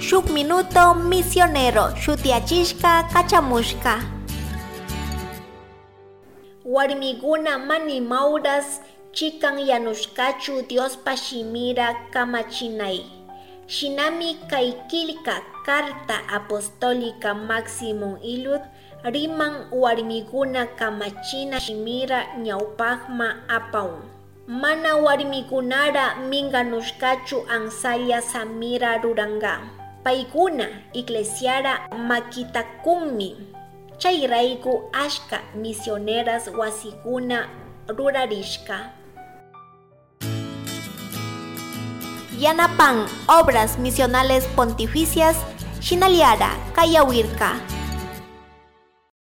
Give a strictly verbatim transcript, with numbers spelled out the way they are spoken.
Shuk minuto misionero shutiyachishka kachamushka. Warmikuna mana imauras chikan yanushkachu Diospa shimira kamachinay. Shinami kay killka carta apostólica Maximum Illud riman warmikuna kamachina shimira ñawpakman apawan. Mana warmikunara minganushkachu ansalla samira ruranka. Paykuna iglesiara makita kunmi. Chayrayku ashka misioneras wasikuna rurarishka. Yanapan Obras Misionales Pontificias shinallara kayawirka.